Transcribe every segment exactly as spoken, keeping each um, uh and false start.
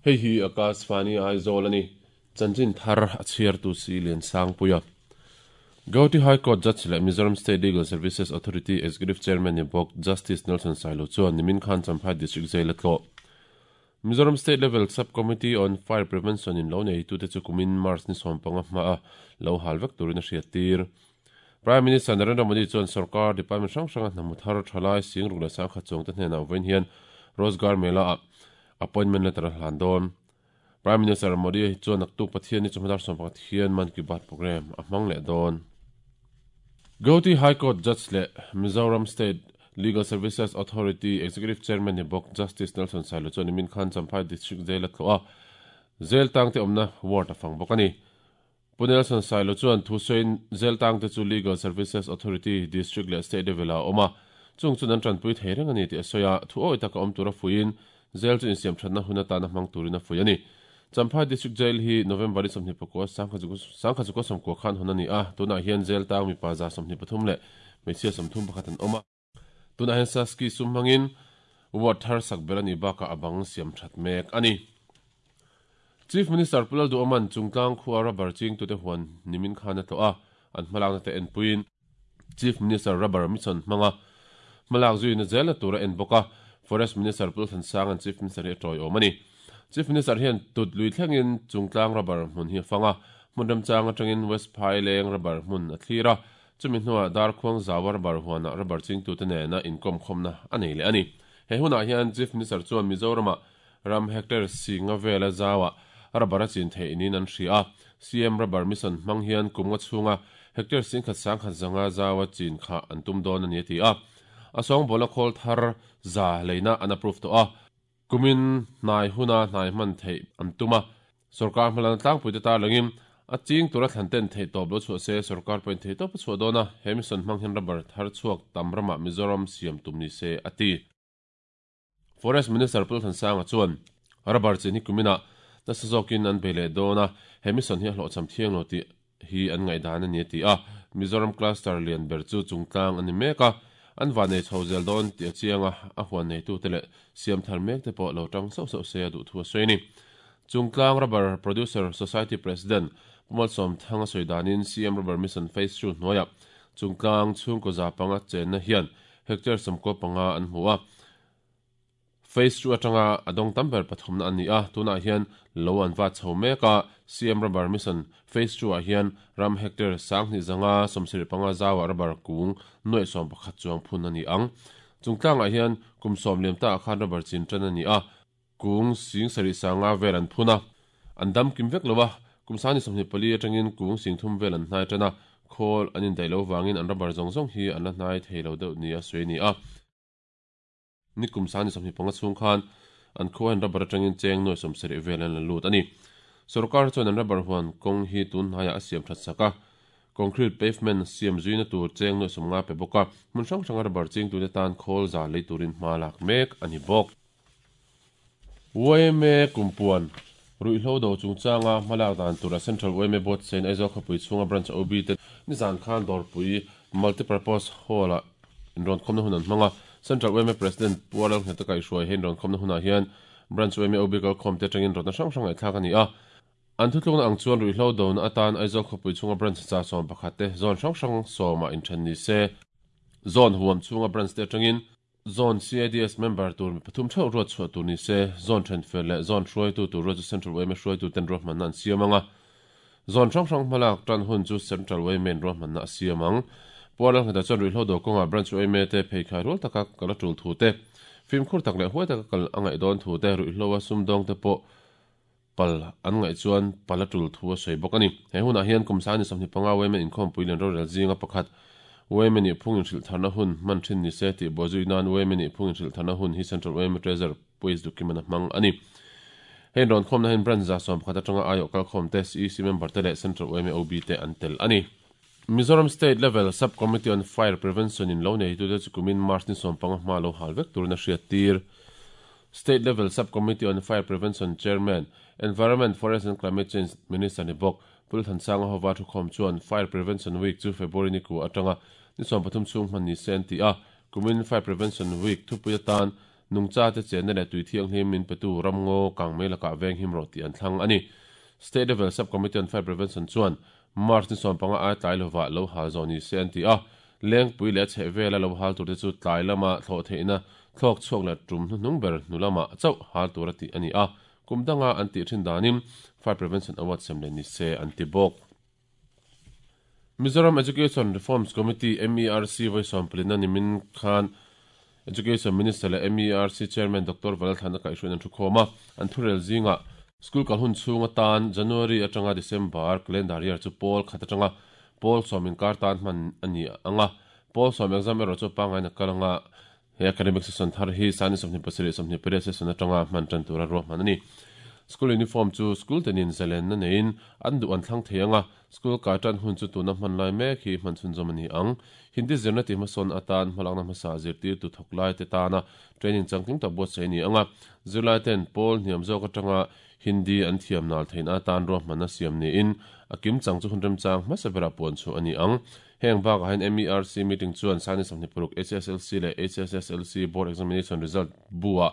Hei hi Akashvani Aizawl ani. Chanchin thar a chhiar tu si Lian Sangpuia. Gauhati High Court Judge leh Mizoram State Legal Services Authority Executive Chairman ni bawk Justice Nelson Sailo chuan nimin khan Champhai District Jail a tlawh. Mizoram State Level Sub-Committee on Fire Prevention in lo neitute chu kumin March ni sawm panga hmaa lo hal vek turin a hriat tir. Prime Minister Narendra Modi chuan sarkar department hrang hranga hnamu thar thalai sing ruk leh sangkhat chuang te hnenah vawiin hian Rozgar Mela ah appointment letter a hlan dawn. Prime Minister Modi chuan naktuk Pathian ni chawhma dar sawm pakhat hian Mann Ki Baat program a hmang leh dawn. Gauhati High Court Judge leh Mizoram State Legal Services Authority Executive Chairman ni bawk Justice Nelson Sailo chuan nimin khan Champhai District Jail a tlawh a, Jail tangte awmna ward a fang bawk a ni. Pu Nelson Sailo chuan thusawiin Jail tangte chu Legal Services Authority District leh State level ah a awm a, chung chuan an tanpui thei reng a ni tih a sawi a, thu awi taka awm tura fuiin Jail chu insiam thatna hun atana hmang turin a fui a ni. Champhai District Jail hi November ni sawmhnih pakua sangkhat zukua sawmkua khan hawn a ni a, tunah hian Jail tang mipa za sawmhnih pathum leh hmeichhia sawmthum pakhat an awm a. Tunah hian Saski sum hmangin ward thar sak ber a nih bakah a bang siam that mek a ni. Chief Minister Pu Lalduhawman Chungtlang khua rubber chingtute huan nimin khan a tlawh a, an hmalakna te enpuiin Chief Minister rubber mission hmanga hmalak zuina zela tur a en bawk a, Forest Minister Pu Lalthansang an Chief Minister hi a tawiawm a ni. Chief Minister hian tut lui thlengin Chungtlang rubber hmun hi a fang a, hmun remchang atangin West Phaileng rubber hmun a thlir a, chumi hnuah Darkhuang zawa rubber huanah rubber chingtute nena inkawm khawmna a nei leh a ni. He hunah hian Chief Minister chuan Mizoramah ram hectare singa vela zawa rubber a chin theih niin an hria a, C M rubber mission hmang hian kumnga chhunga hectare singkhat sangkhat zanga zawa chin kha an tum dawn a ni a ti a. A sawngbawl a khawl thar za leina an approve tawh a, kumin hnai huna hnai hman theih an tum a, sarkar hmalana tlangpui te tarlangin a ching tura thlan ten theih tawp lo chhuah se sarkar pawhin theih tawp a chhuah dawn a, he mission hmang hian rubber thar chhuak tam ramah Mizoram siam tum ni se a ti. Forest Minister Pu Lalthansanga chuan rubber chin hi kuminah nasa zawkin an bei leh dawn a, he mission hi a hlawhchham thiang lo tih hi an ngaihdan a ni a ti a, Mizoram cluster lian ber chu Chungtlang a ni mek a, an van nei chho zel dawn tih a chiang a, a huan neitute leh siam thar mek te pawh lo tang sauh sauh se a duh thu a sawi a ni. Chungtlang Rubber Producer Society President Pu Malsawm Thang a sawi danin C M Rubber Mission Phase two hnuaiah Chungtlang chhungkaw za panga chenna hian hectare sawmkaw panga an hmu a, Phase two atanga a dawng tam ber pathumna a ni a, tunah hian lo an va chho mek a, C M Rubber Mission Phase two ah hian ram hectare sanghnih zanga sawmsarih panga zawa rubber kung nuaih sawm pakhat chuang phun a ni ang. Chungtlangah hian kum sawm liam ta ah khan rubber chin tan a ni a, kung sing sarih sanga vel an phun a, an dam kim vek lo a, kum sani sawmhnih pali atangin kung sing thum vel an hnai tan a, khawl an indaih lo vangin an rubber zawng zawng hi an la hnai thei lo deuh ni a sawi a ni a. Ni kum sani sawmhnih panga chhung khan an khuain rubber atangin cheng nuaih sawmsarih vel an la lut a ni. Sarkar chuan an rubber huan kawng hi tun hnaiah a siam that sak a, concrete pavement siam zuina tur cheng nuaih sawm nga pe bawk a, hmun hrang hranga rubber chingtute tan khawl za lei turin hma lak mek a ni bawk. Y M A kumpuan ruihhlo do chungchanga hmalak dan tura Central Y M A Board sein Aizawl khawpui chhunga branch O B te nizan khan dawrpui multipurpose hall ah inrawn khawmna hun an hmang a, Central Y M A President Pu Lalngheta kaihhruai he inrawn khawmna hunah hian branch Y M A O B kalkhawm te atangin rawtna hrang hrang ngaihthlak a ni a. An thutlukna ang chuan ruihhlo dona atan Aizawl khawpui chhunga branch cha sawm pakhat te zone hrang hrang sawmah inthen ni se, zone huam chhunga branch te atangin zone C I D S member tur mi pathum theuh ruat chhuah tur ni se, zone then fel leh zone hruaitu tur ruat chu Central Y M A hruaitu ten ruahmanna an siam ang a, zone hrang hrang hmalak tan hun chu Central Y M A in ruahmanna a siam ang. Pu Lalngheta chuan ruihhlo do kawngah branch Y M A te pheikhai rual taka kal a tul thu te, fimkhur tak leh huai taka kal a ngaih dawn thu te, ruihhlo a sumdawng te pawh pal an ngaih chuan pal a tul thu a sawi bawk a ni. He hunah hian kum sani sawmhnih panga Y M A inkhawmpui lian rorel zinga pakhat Y M A nih phung inhrilh tharna hun hman thin ni se tih bawhzui nan Y M A nih phung inhrilh tharna hun hi Central Y M A Treasurer Puis Dukiman a hmang a ni. Hei rawn khawmna hian branch za sawm pakhat atanga aiawh kalkhawm te, C E C member te leh Central Y M A O B te an tel a ni. Mizoram State Level Sub-Committee on Fire Prevention in lo neitute chu kumin March ni sawm panga hma lo hal vek turin a hriat tir. State Level Sub-Committee on Fire Prevention Chairman, Environment, Forest and Climate Change Minister ni bawk Pu Lalthansanga hova thukhawm chuan Fire Prevention Week chu February ni ku atanga ni sawm pathum chhung hman ni se an ti a, kumin Fire Prevention Week thupui atan Nungcha te chen le tui thiang hlim min petu ramngo kangmei laka veng him ro ti an thlang ani. State Level Subcommittee on Fire Prevention chuan March ni sawm panga ai tlai lova lo hal zo ni se an ti a. Lengpui leh chhe vela lo hal tur te chu tlai lama thlo theina thlok chhuak la tum hnung ber hnulama chau hal tur ati ani a. Kumdanga an ti thin danim Fire Prevention Award sem le ni se an ti bawk. Mizoram Education Reforms Committee M E R C voice plina nimin khan Education Minister le M E R C Chairman Doctor Valalthana Kaihruin an thukhoma an thurel zinga school kalhun chunga tan January atanga December calendar year chu pol khatanga pol somin kar tan man ani anga pol som exam ero chu pangai na kalanga he academic session thar hi sani somni pasiri somni pere session atanga man tan tura ro manani. School uniform chu school tenin zalen na nein an du an thlang theianga school ka tan hun chu tuna man lai me khi man chun zomani ang Hindi zirna ti mason atan malangna masa zirtir tu thoklai te tana training changking ta bo sei ni anga zirlai ten pol hniam zo ka tanga Hindi an thiam nal thein atan ro mana siam ni in akim chang chu hunrem chang masabera pon chu ani ang. Heng ba ka hen M E R C meeting chuan sani samni puruk H S L C le H S S L C board examination result bua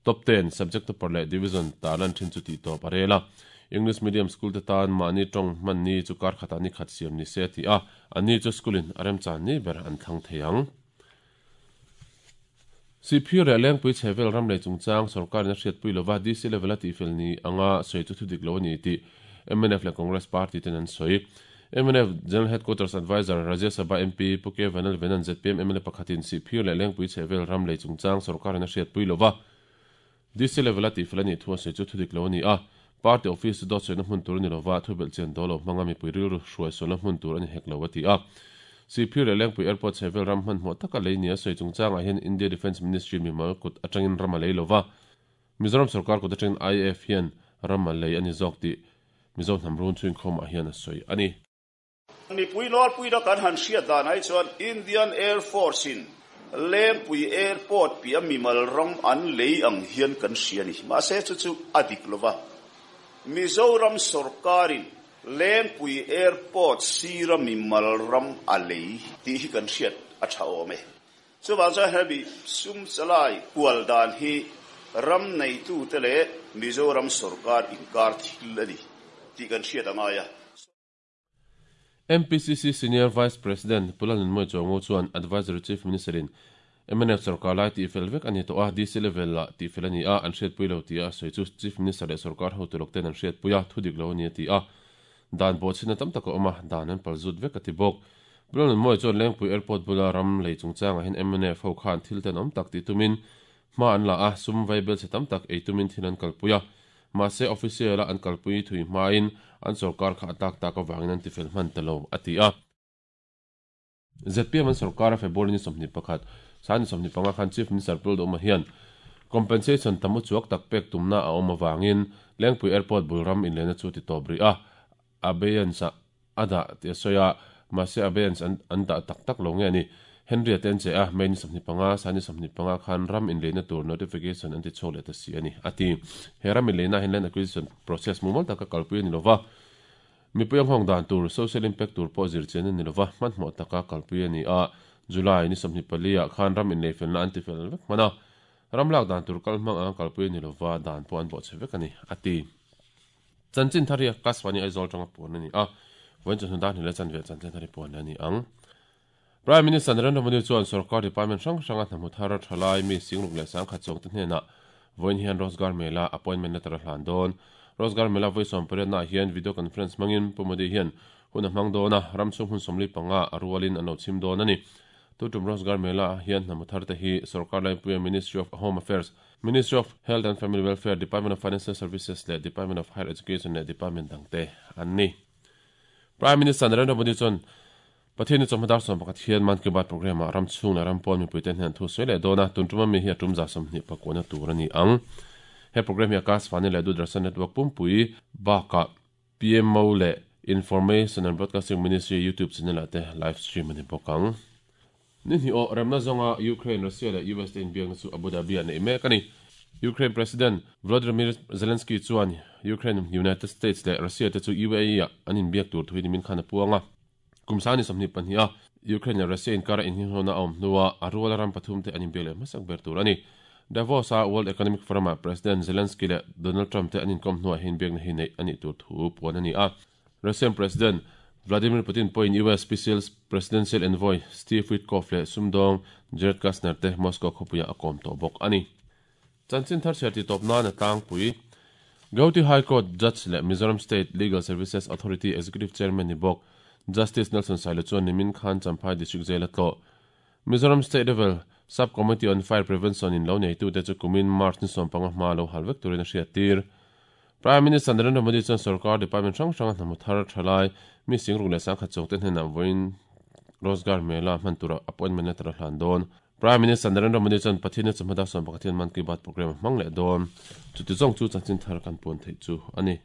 top ten subject per le division talan thin chu ti to parela. English medium school te tan mani tong man ni chu kar khata ni khat siam ni se ti a ani chu schoolin arem chan ni ber an thang theiang. C P re leng pui chevel ram le chungchang sarkar na hriat pui lova D C level ati fel ni anga soi chu thudik lo ni ti M N F le Congress Party ten an soi. M N F General Headquarters Advisor Rajya Sabha M P Puke Vanal Venan Z P M M L A pakhatin C P le leng pui chevel ram le chungchang sarkar na hriat pui lova D C level ati fel ni thua soi chu thudik lo ni a. Party office dot soi na hmun tur ni lova thubel chen dolo mangami pui ru hruai so na hmun tur ani hek lo ati a. C P le lengpui airport chevel ram hman hmo taka lei ni a soi chungchang a hian India Defence Ministry mi mal kut atangin ram a lei lova Mizoram sarkar kut atangin I F hian ram a lei ani zawk ti Mizo hnam run chuin khom a hian a soi ani. Mi pui lor pui da kan han hriat dan ai chuan Indian Air Force in Lengpui airport pi a mi mal ram an lei ang hian kan hria ni ma se chu chu adik lova Mizoram sarkarin Lengpui airport sira mi malram alei ti hi kan hriat a tha awm e. Chuwang chuan hemi sum chalai kual dan hi ram nei tu te le Mizoram sarkar inkar thil ani ti kan hriat anga ya. M P C C Senior Vice President Pulalun Moi Chongo chuan Advisory Chief Minister in M N F sarkar lai ti fel vek ani to a D C level la ti fel ani a an hriat pui lo ti a soi chu Chief Minister le sarkar ho tu lok ten an hriat puia thudik lo ani ti a dan bo china tam taka oma dan an palzut vek ati bawk. Pulalun Moi chuan Lengpui airport bula ram lei chungchang a hin M N F ho khan thil ten awm tak ti tumin hma an la a sum vaibel che tam tak ei tumin thil an kalpuia ma se official an kalpui thui hmain an sarkar kha atak tak awangin an tifel hman talo ati a. Z P M an sarkar a February ni sawmhnih pakhat sani sawmhnih panga khan Chief Minister Pul Doma hian compensation tamu chuak tak pek tumna a awm awangin Lengpui airport bul ram in lena chu ti tawp ri a abeyance ada ti soya ma se abeyance an an da tak tak lo nge ani Henry aten che a main samni panga sani samni panga khan ram in lena tur notification an ti chole ta si ani ati he ram in lena hen land acquisition process mumal taka kalpui ni lova mi puyang hong dan tur social impact tur po zir chen ni lova man mo taka kalpui ani a July ni samni palia khan ram in lefen na an ti fel vek mana ram lak dan tur kal mang ang kalpui ni lova dan po an bo che vek ani ati chanchin tharia kaswani Aizawl tanga pon ani a voin chu dan hile chan ve chanchin thari pon ani ang. Prime Minister Narendra Modi chuan sarkar department hrang hranga hnamu thara thalai mi singruk leh sang khat chawng te hnena voin hian Rozgar Mela appointment letter a hlan dawn. Rozgar Mela voi sawm pariat na hian video conference mangin Pu Modi hian hun a hmang dawn a ram chung hun sawmli panga a rualin an lo chim dawn ani. Tutum Rozgar Mela hian hnamu thar te hi sarkar laipuia Ministry of Home Affairs, Ministry of Health and Family Welfare, Department of Financial Services le Department of Higher Education le Department dangte an ni. Prime Minister Narendra Modi chuan Pathian chu madar som pakhat hian Man Ki Baat program a ram chung la ram pawn mi puiten hian thu soi le dona tuntuma mi hi a tum za som hnih pakuna tur ani ang. He program hi Akashvani le Doordarshan Network pumpui baka P M O le Information and Broadcasting Ministry YouTube channel ate live stream ani bawk ang. Ni hi o remna zonga Ukraine, Russia le U S te inbiakna chu Abu Dhabi an nei mek ani. Ukraine President Volodymyr Zelensky chuan Ukraine, United States le Russia te chu U A E a an inbiak tur thui nimin khan a puanga. Kumsani samni panhia Ukraine le Russia inkara inhinghona awm hnuah a ruala ram pathum te an inbiak leh hmasak ber tur ani. Davos a World Economic Forum a President Zelensky le Donald Trump te anin kom hnuah hin biakna hi nei ani tur thu puan ani a. Russian President Vladimir Putin point U S Special Presidential Envoy Steve Witkoff le sumdong Jared Kushner te Moscow khopuia akom to bok ani. Chanchin thar serti top na na tang pui. Gauti High Court Judge le Mizoram State Legal Services Authority Executive Chairman ni bok Justice Nelson Sailo chuan nimin khan Champhai District Jail atlo. Mizoram State Level Subcommittee on Fire Prevention in lo nei tu te chu kumin March ni som panga hma lo halvek turin a hriat tir. Prime Minister Narendra Modi chuan sarkar department hrang hrang hnamu thar thalai mi singruk leh sangkhat chawng te hnenah vawiin Rozgar Mela hman tura appointment letter a hlan dawn. Prime Minister Narendra Modi chuan Pathian chawhmada sawm pakhat hian Man Ki Baat program hmang leh dawn. Chuti zawng chu chanchin thar kan puan theih chu ani.